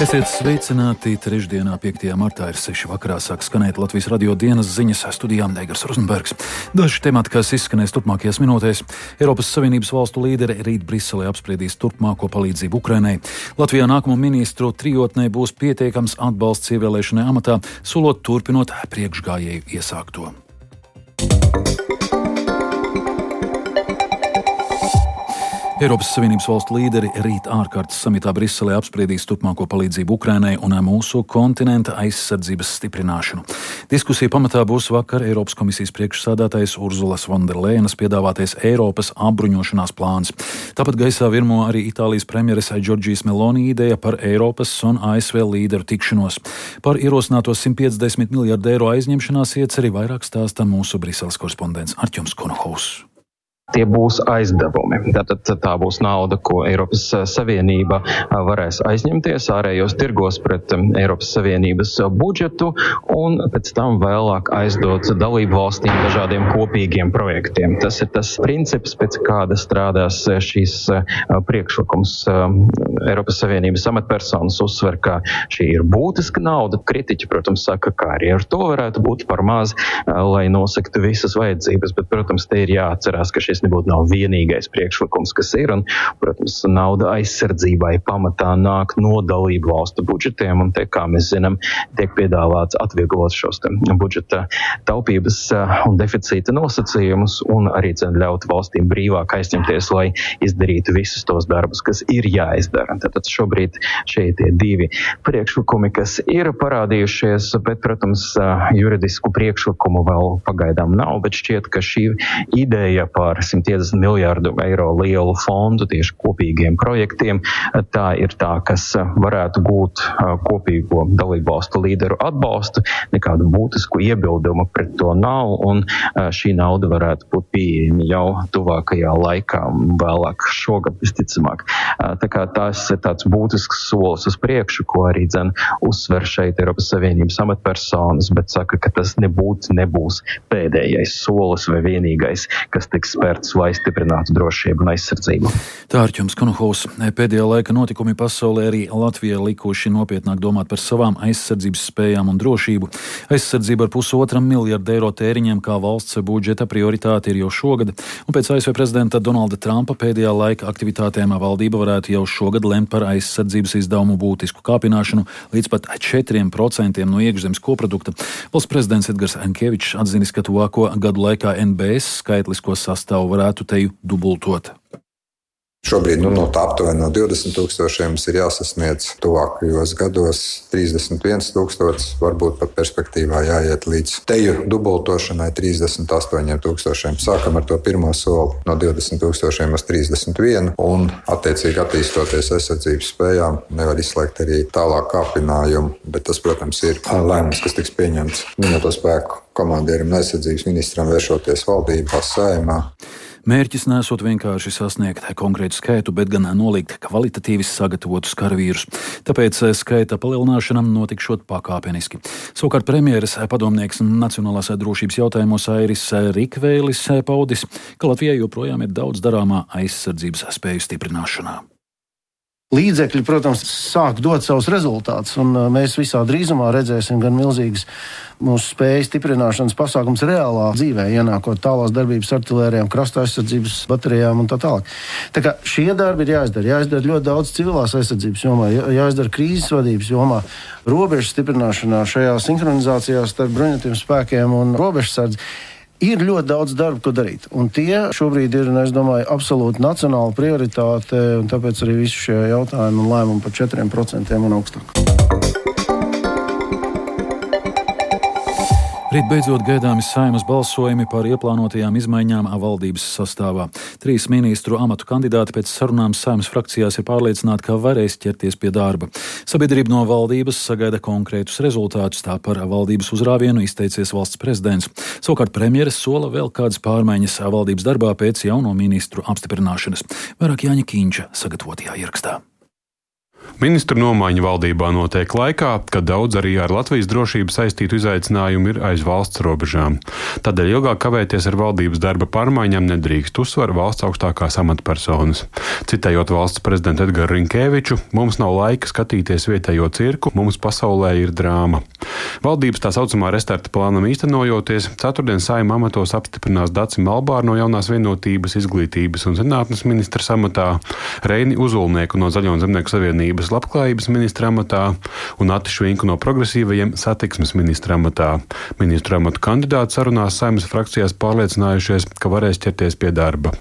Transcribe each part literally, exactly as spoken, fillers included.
Esiet sveicināti trešdienā, piektajā martā ir seši vakarā sāk skanēt Latvijas radio dienas ziņas, studijā Eigars Rozenbergs. Daži temati, kas izskanēs turpmākajās minūtēs. Eiropas Savienības valstu līderi rīt Briselē apspriedīs turpmāko palīdzību Ukrainai. Latvijā nākamo ministru trijotnē būs pietiekams atbalsts ievēlēšanai amatā, solot turpinot priekšgājēju iesākto. Eiropas Savienības valstu līderi rīt ārkārtas samitā Briselē apspriedīs turpmāko palīdzību Ukrainai un mūsu kontinenta aizsardzības stiprināšanu. Diskusija pamatā būs vakar Eiropas komisijas priekšsādātājs Urzulas Vonderlejenas piedāvātais Eiropas apbruņošanās plāns. Tāpat gaisā virmo arī Itālijas premjeres Džordžijas Meloni ideja par Eiropas un A S V līderu tikšanos. Par ierosināto simt piecdesmit miljardu eiro aizņemšanās ieceri vairāk stāsta mūsu Briseles korespondents Artjoms Konohaus. Tie būs aizdevumi. Tātad tā būs nauda, ko Eiropas Savienība varēs aizņemties ārējos tirgos pret Eiropas Savienības budžetu un pēc tam vēlāk aizdot dalību valstīm dažādiem kopīgiem projektiem. Tas ir tas princips, pēc kāda strādās šīs priekšlikums. Eiropas Savienības amatpersonas uzsver, ka šī ir būtiska nauda. Kritiķi, protams, saka, ka arī ar to varētu būt par maz, lai nosaktu visas vajadzības, bet, protams, te ir jāatcerās, ka šis nebūtu nav vienīgais priekšlikums, kas ir, un, protams, nauda aizsardzībai pamatā nāk no dalību valstu budžetiem, un te, kā mēs zinām, tiek piedāvāts atvieglot šos budžeta taupības un deficīta nosacījumus, un arī ļaut valstīm brīvāk aizņemties, lai izdarītu visus tos darbus, kas ir jāizdara. Tātad šobrīd šie tie divi priekšlikumi, kas ir parādījušies, bet, protams, juridisku priekšlikumu vēl pagaidām nav, bet šķiet, ka šī ideja par simt piecdesmit miljārdu eiro lielu fondu tieši kopīgiem projektiem. Tā ir tā, kas varētu būt kopīgo dalību valstu līderu atbalstu. Nekādu būtisku iebildumu pret to nav, un šī nauda varētu būt pieejama jau tuvākajā laikā, vēlāk šogad visticamāk. Tā kā tās ir tāds būtisks solis uz priekšu, ko arī dzen uzsver šeit Eiropas Savienības amatpersonas, bet saka, ka tas nebūtu nebūs pēdējais solis vai vienīgais, kas tiks spērts, lai stiprinātu drošību un aizsardzību. Tā Artjoms Konohaus. Pēdējā laika notikumi pasaulē arī Latvijā likuši nopietnāk domāt par savām aizsardzības spējām un drošību. Aizsardzība ar pusotram miljardu eiro tēriņiem kā valsts budžeta prioritāte ir jau šogad, un pēc A S V prezidenta Donalda Trumpa pēdējā laika aktivitātēm valdība varētu jau šogad lemt par aizsardzības izdevumu būtisku kāpināšanu līdz pat četriem procentiem no iekšzemes koprodukta. Valsts prezidents Edgars Ankevičs atzinis, ka tuvāko gadu laikā N B S skaitlisko sastāvu varētu teju dubultot. Šobrīd nu, no tā aptuveni no divdesmit tūkstošiem ir jāsasniedz tuvākajos gados trīsdesmit viens tūkstots, varbūt pat perspektīvā jāiet līdz teju dubultošanai trīsdesmit astoņiem tūkstošiem. Sākam ar to pirmo soli no divdesmit tūkstošiem uz trīsdesmit vienu un attiecīgi attīstoties aizsardzības spējām nevar izslēgt arī tālāk kāpinājumu, bet tas, protams, ir lēmums, kas tiks pieņemts minēto spēku komandierim un aizsardzības ministram vēršoties valdībā, Saeimā. Mērķis nesot vienkārši sasniegt konkrētu skaitu, bet gan nolikt kvalitatīvi sagatavotus karavīrus. Tāpēc skaita palielināšana notikšot pakāpeniski. Savukārt premjeras padomnieks nacionālās drošības jautājumos Airis Rikvēlis paudis, ka Latvijai joprojām ir daudz darāmā aizsardzības spēju stiprināšanā. Līdzekļi, protams, sāk dot savus rezultātus, un mēs visā drīzumā redzēsim gan milzīgas mūsu spēju stiprināšanas pasākums reālā dzīvē, ienākot tālās darbības artilērijām, krasta aizsardzības baterijām un tā tālāk. Tā kā šie darbi ir jāizdara. Jāizdara ļoti daudz civilās aizsardzības jomā, jāizdara krīzes vadības jomā, robežu stiprināšanā, šajā sinhronizācijā starp bruņotajiem spēkiem un robežsardzi. Ir ļoti daudz darba, ko darīt, un tie šobrīd ir, es domāju, absolūti nacionāla prioritāte, un tāpēc arī visi šie jautājumi un lēmumi par četriem procentiem un augstāk. Rīt beidzot gaidāmi Saeimas balsojumi par ieplānotajām izmaiņām valdības sastāvā. Trīs ministru amatu kandidāti pēc sarunām Saeimas frakcijās ir pārliecināti, ka varēs ķerties pie darba. Sabiedrība no valdības sagaida konkrētus rezultātus, tā par valdības uzrāvienu izteicies valsts prezidents. Savukārt premjeres sola vēl kādas pārmaiņas valdības darbā pēc jauno ministru apstiprināšanas. Vairāk Jāņa Kīņša sagatavotajā ierakstā. Ministru nomaiņa valdībā notiek laikā, kad daudz arī ar Latvijas drošību saistītu izaicinājumu ir aiz valsts robežām. Tādēļ ilgāk kavēties ar valdības darba pārmaiņām nedrīkst, uzsver valsts augstākās amatpersonas. Citējot valsts prezidentu Edgaru Rinkēviču, mums nav laika skatīties vietējo cirku, mums pasaulē ir drāma. Valdības tā saucamā restarta plānam īstenojoties, ceturtdien Saeima amatos apstiprinās Daci Malbāru no Jaunās vienotības, izglītības un zinātnes ministra amatā, Reini Uzulnieku no Zaļo un Zemnieku savienības labklājības ministra amatā un Ati Švinku no progresīvajiem satiksmes ministra amatā. Ministru amatu kandidāti sarunās Saeimas frakcijās pārliecinājušies, ka varēs ķerties pie darba.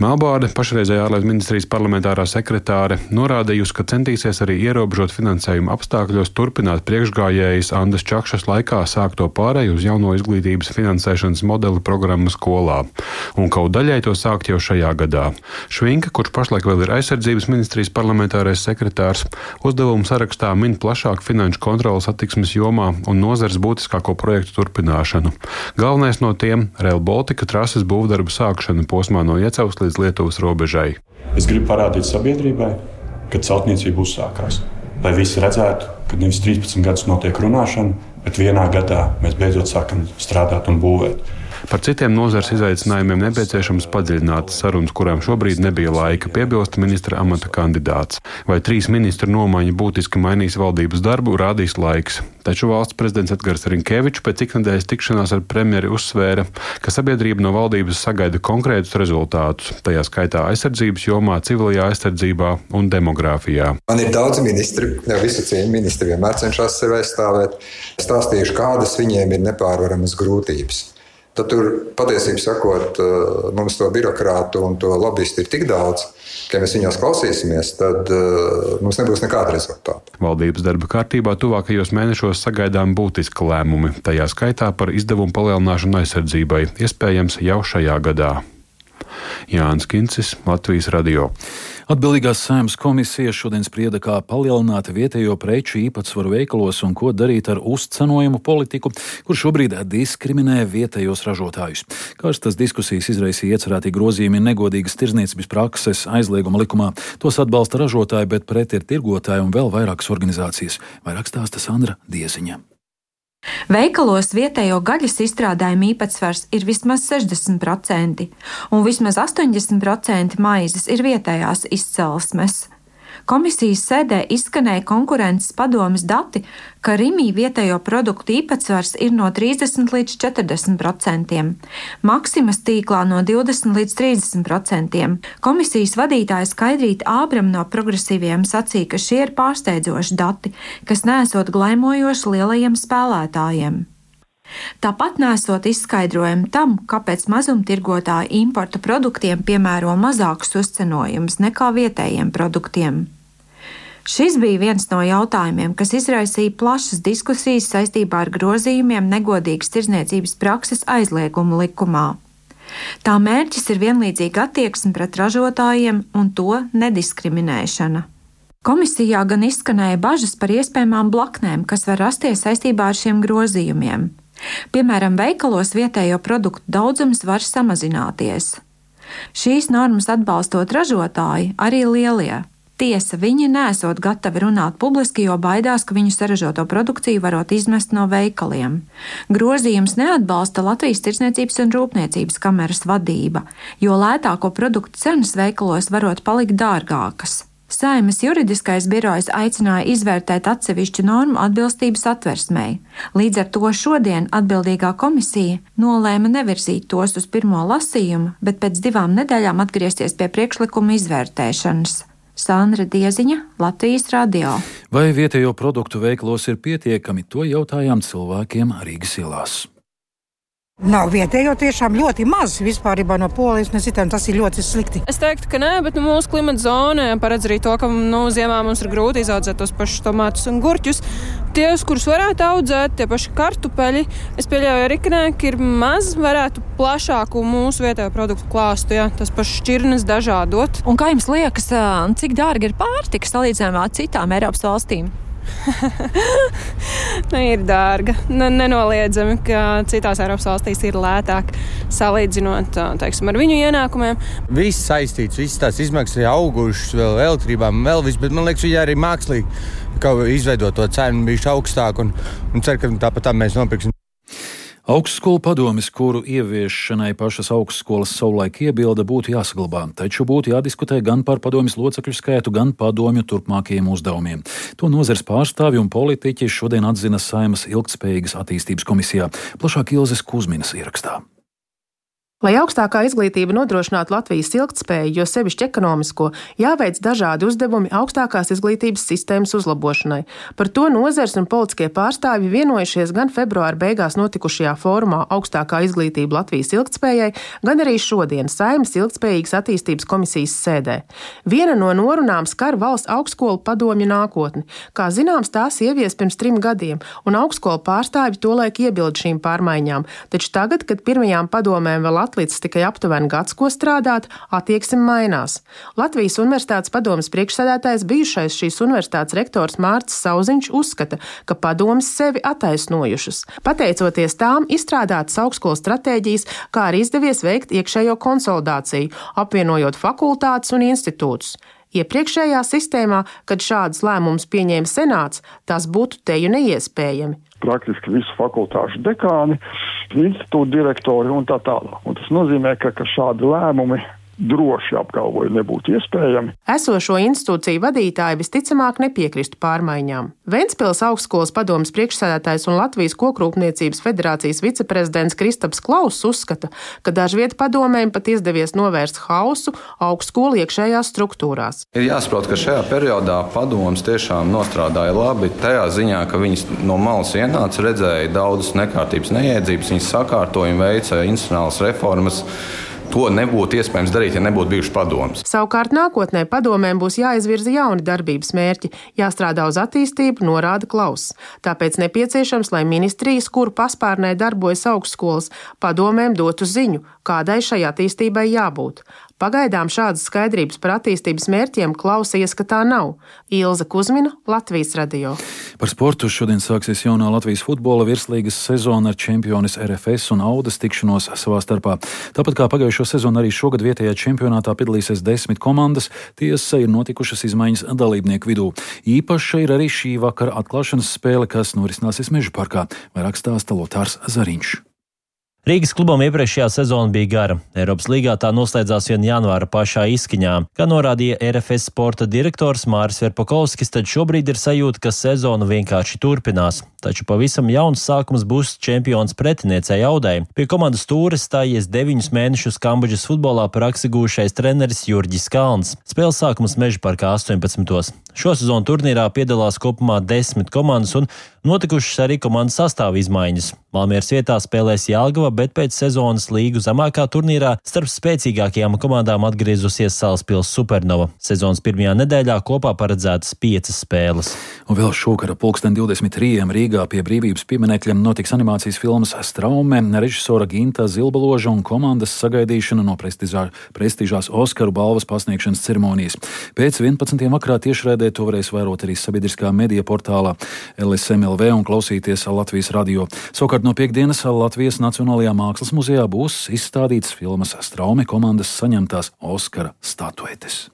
Melbārde, pašreizējā ārlietu ministrijas parlamentārā sekretāre, norādījusi, ka centīsies arī ierobežot finansējumu apstākļos turpināt priekšgājējas Andas Čakšas laikā sākto pārēju uz jauno izglītības finansēšanas modeli programmu skolā, un kaut daļai to sākt jau šajā gadā. Švinka, kurš pašlaik vēl ir aizsardzības ministrijas parlamentārais sekretārs, uzdevumu sarakstā min plašāku finanšu kontrolas attiksmes jomā un nozares būtiskāko projektu turpināšanu. Galvenais no tiem – Rail Baltica trases būvdarbu sākšana posmā no Iecavas līdz Lietuvas robežai. Es gribu parādīt sabiedrībai, ka celtniecība uzsākās. Lai visi redzētu, ka nevis trīspadsmit gadus notiek runāšana, bet vienā gadā mēs beidzot sākam strādāt un būvēt. Par citiem nozares izaicinājumiem nepieciešams padziļinātas sarunas, kurām šobrīd nebija laika, piebilst ministra amata kandidāts. Vai trīs ministru nomaiņa būtiski mainīs valdības darbu, rādīs laiks. Taču valsts prezidents Edgars Rinkēvičs pēc iknedēļas tikšanās ar premjeri uzsvēra, ka sabiedrība no valdības sagaida konkrētus rezultātus, tajā skaitā aizsardzības jomā, civilajā aizsardzībā un demogrāfijā. Man ir daudz ministri, jau visu cieņu ministri vienmēr cenšas sevi aizstāvēt. Stāstījuši, kādas viņiem ir nepārvaramas grūtības. Tad tur, patiesībā sakot, mums to birokrātu un to lobbyistu ir tik daudz, ka, ja mēs viņos klausīsimies, tad mums nebūs nekāda rezultāta. Valdības darba kārtībā tuvākajos mēnešos sagaidām būtiski lēmumi, tajā skaitā par izdevumu palielināšanu aizsardzībai, iespējams jau šajā gadā. Jānis Kincis, Latvijas radio. Atbildīgās Saeimas komisija šodien sprieda, kā palielināt vietējo preču īpatsvaru veikalos un ko darīt ar uzcenojumu politiku, kur šobrīd diskriminē vietējos ražotājus. Karstas diskusijas izraisīja iecerētī grozījumi negodīgas tirdzniecības prakses aizlieguma likumā. Tos atbalsta ražotāji, bet pret ir tirgotāji un vēl vairākas organizācijas. Vairāk stāsta Sandra Dieziņa. Veikalos vietējo gaļas izstrādājumu īpatsvars ir vismaz sešdesmit procenti, un vismaz astoņdesmit procenti maizes ir vietējās izcelsmes. Komisijas sēdē izskanēja konkurences padomes dati, ka Rimī vietējo produktu īpatsvars ir no trīsdesmit līdz četrdesmit procentiem, Maksimas tīklā no divdesmit līdz trīsdesmit procentiem. Komisijas vadītāja Skaidrīta Ābrama no progresīviem sacīja, ka šie ir pārsteidzoši dati, kas neesot glaimojoši lielajiem spēlētājiem. Tāpat nesot izskaidrojumu tam, kāpēc mazumtirgotāji importa produktiem piemēro mazākus uzcenojumus nekā vietējiem produktiem. Šis bija viens no jautājumiem, kas izraisīja plašas diskusijas saistībā ar grozījumiem negodīgas tirdzniecības prakses aizliegumu likumā. Tā mērķis ir vienlīdzīga attieksme pret ražotājiem un to nediskriminēšana. Komisijā gan izskanēja bažas par iespējamām blaknēm, kas var rasties saistībā ar šiem grozījumiem. Piemēram, veikalos vietējo produktu daudzums var samazināties. Šīs normas atbalstot ražotāji, arī lielie. Tiesa, viņi nesot gatavi runāt publiski, jo baidās, ka viņu saražoto produkciju varot izmest no veikaliem. Grozījums neatbalsta Latvijas Tirdzniecības un Rūpniecības kameras vadība, jo lētāko produktu cenas veikalos varot palikt dārgākas. Saeimas juridiskais birojs aicināja izvērtēt atsevišķu normu atbilstību satversmei. Līdz ar to šodien atbildīgā komisija nolēma nevirzīt tos uz pirmo lasījumu, bet pēc divām nedēļām atgriezties pie priekšlikuma izvērtēšanas. Sandra Dieziņa, Latvijas radio. Vai vietējo produktu veikalos ir pietiekami, to jautājām cilvēkiem Rīgas ielās. Nav vietējo tiešām ļoti maz vispārībā no Polijas, mēs citām tas ir ļoti slikti. Es teiktu, ka nē, bet nu, mūsu klimata zonē paredz arī to, ka nu, ziemā mums ir grūti izaudzēt tos pašus tomātus un gurķus. Tie, kurus varētu audzēt, tie paši kartupeļi, es pieļauju arī, ka nē, ka ir maz, varētu plašāku mūsu vietējo produktu klāstu, jā, tas pašs šķirnes dažādot. Un kā jums liekas, cik dārgi ir pārtika salīdzinājumā ar citām Eiropas valstīm? Nu, ir dārga. Nenoliedzami, ka citās Eiropas valstīs ir lētāk salīdzinot, teiksim, ar viņu ienākumiem. Viss saistīts, visas tās izmaksas ir augušas, vēl elektrībām, vēl viss, bet man liekas, viņi arī mākslīgi kaut izveidot to cenu bišķi augstāk un, un cer, ka tāpat tā mēs nopirksim. Augstskolu padomes, kuru ieviešanai pašas augstskolas savulaik iebilda, būtu jāsaglabā, taču būtu jādiskutē gan par padomes locekļu skaitu, gan padomju turpmākajiem uzdevumiem. To nozares pārstāvji un politiķi šodien atzina Saeimas ilgtspējīgas attīstības komisijā. Plašāk Ilzes Kuzminas ierakstā. Lai augstākā izglītība nodrošinātu Latvijas ilgtspēju, jo sevišķi ekonomisko, jāveic dažādi uzdevumi augstākās izglītības sistēmas uzlabošanai. Par to nozars un politiskie pārstāvji vienojušies gan februāra beigās notikušajā fórumā Augstākā izglītība Latvijas ilgtspējai, gan arī šodien Saeimas ilgtspējīgas attīstības komisijas sēdē. Viena no norunām skar valsts augstskolu padomju nākotni. Kā zināms, tās ievies pirms trim gadiem, un augstskolu pārstāvji tolaik iebilda šīm pārmaiņām, taču tagad, kad pirmajām padomēm vēl atlicis tikai aptuveni gads, ko strādāt, attieksme mainās. Latvijas Universitātes padomes priekšsēdētājs, bijušais šīs universitātes rektors Mārcis Sauziņš uzskata, ka padomes sevi attaisnojušas. Pateicoties tām, izstrādātas augstskolas stratēģijas, kā arī izdevies veikt iekšējo konsolidāciju, apvienojot fakultātes un institūtus. Iepriekšējā sistēmā, kad šādus lēmumus pieņēma senāts, tas būtu teju neiespējami. Praktiski visu fakultāšu dekāni, institūtu direktori un tā tālāk. Un tas nozīmē, ka, ka šādi lēmumi droši apgalvoju nebūtu iespējami. Esošo institūciju vadītāji visticamāk nepiekristu pārmaiņām. Ventspils augstskolas padomes priekšsēdētājs un Latvijas Kokrūpniecības federācijas viceprezidents Kristaps Klauss uzskata, ka dažviet padomēm pat izdevies novērst hausu augstskolu iekšējās struktūrās. Ir jāsaprot, ka šajā periodā padomes tiešām nostrādāja labi tajā ziņā, ka viņas no malas ienāca, redzēja daudzas nekārtības, neiedzības, viņas sakārtoja un veica institucionālas reformas. To nebūtu iespējams darīt, ja nebūtu bijušas padomes. Savukārt nākotnē padomēm būs jāizvirza jauni darbības mērķi, jāstrādā uz attīstību, norāda Klauss. Tāpēc nepieciešams, lai ministrijas, kuru paspārnē darbojas augstskolas, padomēm dotu ziņu, kādai šai attīstībai jābūt. Pagaidām šādas skaidrības par attīstības mērķiem Klausa ieskatā nav. Ilze Kuzmina, Latvijas radio. Par sportu šodien sāksies jaunā Latvijas futbola virslīgas sezona ar čempionis R F S un Audas tikšanos savā starpā. Tāpat kā pagājušo sezonu arī šogad vietējā čempionātā piedalīsies desmit komandas, tiesa ir notikušas izmaiņas dalībnieku vidū. Īpaša ir arī šī vakara atklāšanas spēle, kas norisināsies Meža parkā. Vairāk stāsta Lotārs Zariņš. Rīgas klubam iepriekšējā sezona bija gara. Eiropas līgā tā noslēdzās vien janvāra pašā izskaņā. Kā norādīja R F S sporta direktors Māris Verpakovskis, tad šobrīd ir sajūta, ka sezona vienkārši turpinās. Taču pavisam jauns sākums būs čempions pretiniecei Audai. Pie komandas stūres stājies deviņus mēnešus Kambodžas futbolā praksi gūšais treneris Jurģis Kalns. Spēles sākums Meža parkā astoņpadsmitos. Šo sezonu turnīrā piedalās kopumā desmit komandas un notikušas arī komandas sastāva izmaiņas. Valmieras vietā spēlēs Jelgava, bet pēc sezonas līgu zemākā turnīrā starp spēcīgākajām komandām atgriezusies Salaspils Supernova. Sezonas pirmajā nedēļā kopā paredzētas piecas spēles. Un vēl šokara pulksten divdesmit trījiem Rīgā pie Brīvības pieminekļa notiks animācijas filmas Straume, režisora Ginta Zilbaloža un komandas sagaidīšana no prestižā, prestižās Oskaru balvas pasniegšanas ceremonijas. Pēc vienpadsmitiem vakarā tiešraidē to varēs vērot arī sabiedriskā medija portālā L S M L V un klausīties Latvijas radio. Savukārt no piekdienas Latvijas Nacionālajā mākslas muzejā būs izstādīts filmas Straume komandas saņemtās Oskara statuetes.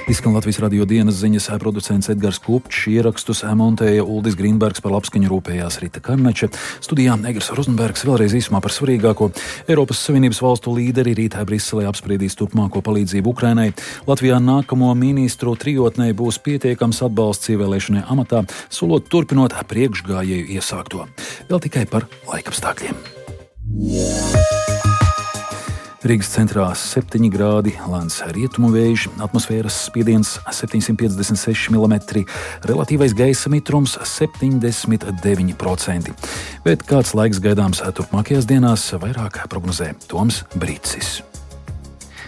Izskan Latvijas radio dienas ziņas, producents Edgars Kupčs, ierakstus montēja Uldis Grīnbergs, par labskaņu rūpējās Rita Karneča. Studijā Egers Rozenbergs. Vēlreiz īsumā par svarīgāko. Eiropas Savienības valstu līderi rītā Briselē apspriedīs turpmāko palīdzību Ukrainai. Latvijā nākamo ministru trijotnei būs pietiekams atbalsts ievēlēšanai amatā, solot turpinot priekšgājēju iesākto. Vēl tikai par laikapstākļiem. Rīgas centrā septiņi grādi, lēns rietumu vējš, atmosfēras spiediens septiņsimt piecdesmit seši milimetri, relatīvais gaisa mitrums septiņdesmit deviņi procenti. Bet kāds laiks gaidāms turpmākajās dienās, vairāk prognozē Toms Brīcis.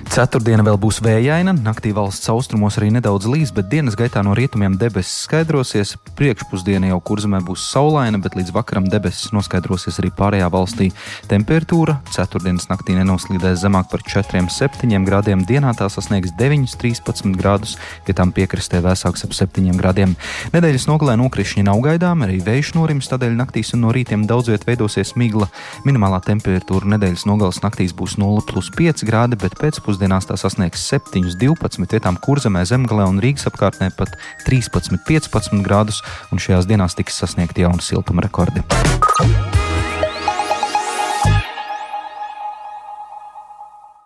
Ceturtdiena vēl būs vējaina, naktī valsts austrumos arī nedaudz līs, bet dienas gaitā no rietumiem debesis skaidrosies. Priekšpusdiena jau Kurzemē būs saulaina, bet līdz vakaram debesis noskaidrosies arī pārējā valstī. Temperatūra ceturtdienas naktī nenoslīdēs zemāk par četriem septiņiem grādiem, dienā tā sasniegs deviņus trīspadsmit grādus, pie tām piekrastē vēsāks ap septiņiem grādiem. Nedēļas nogalē nokrišņi nav gaidām, arī vējš norims, tādēļ naktīs un no rītiem daudz viet veidosies migla. Minimālā temperatūra nedēļas nogalas naktīs būs nulle plus pieci grādi, bet pēcpusdienā tā sasniegs septiņus divpadsmit, vietām Kurzemē, Zemgalē un Rīgas apkārtnē pat trīspadsmit piecpadsmit grādus, un šajās dienās tiks sasniegti jauni siltuma rekordi.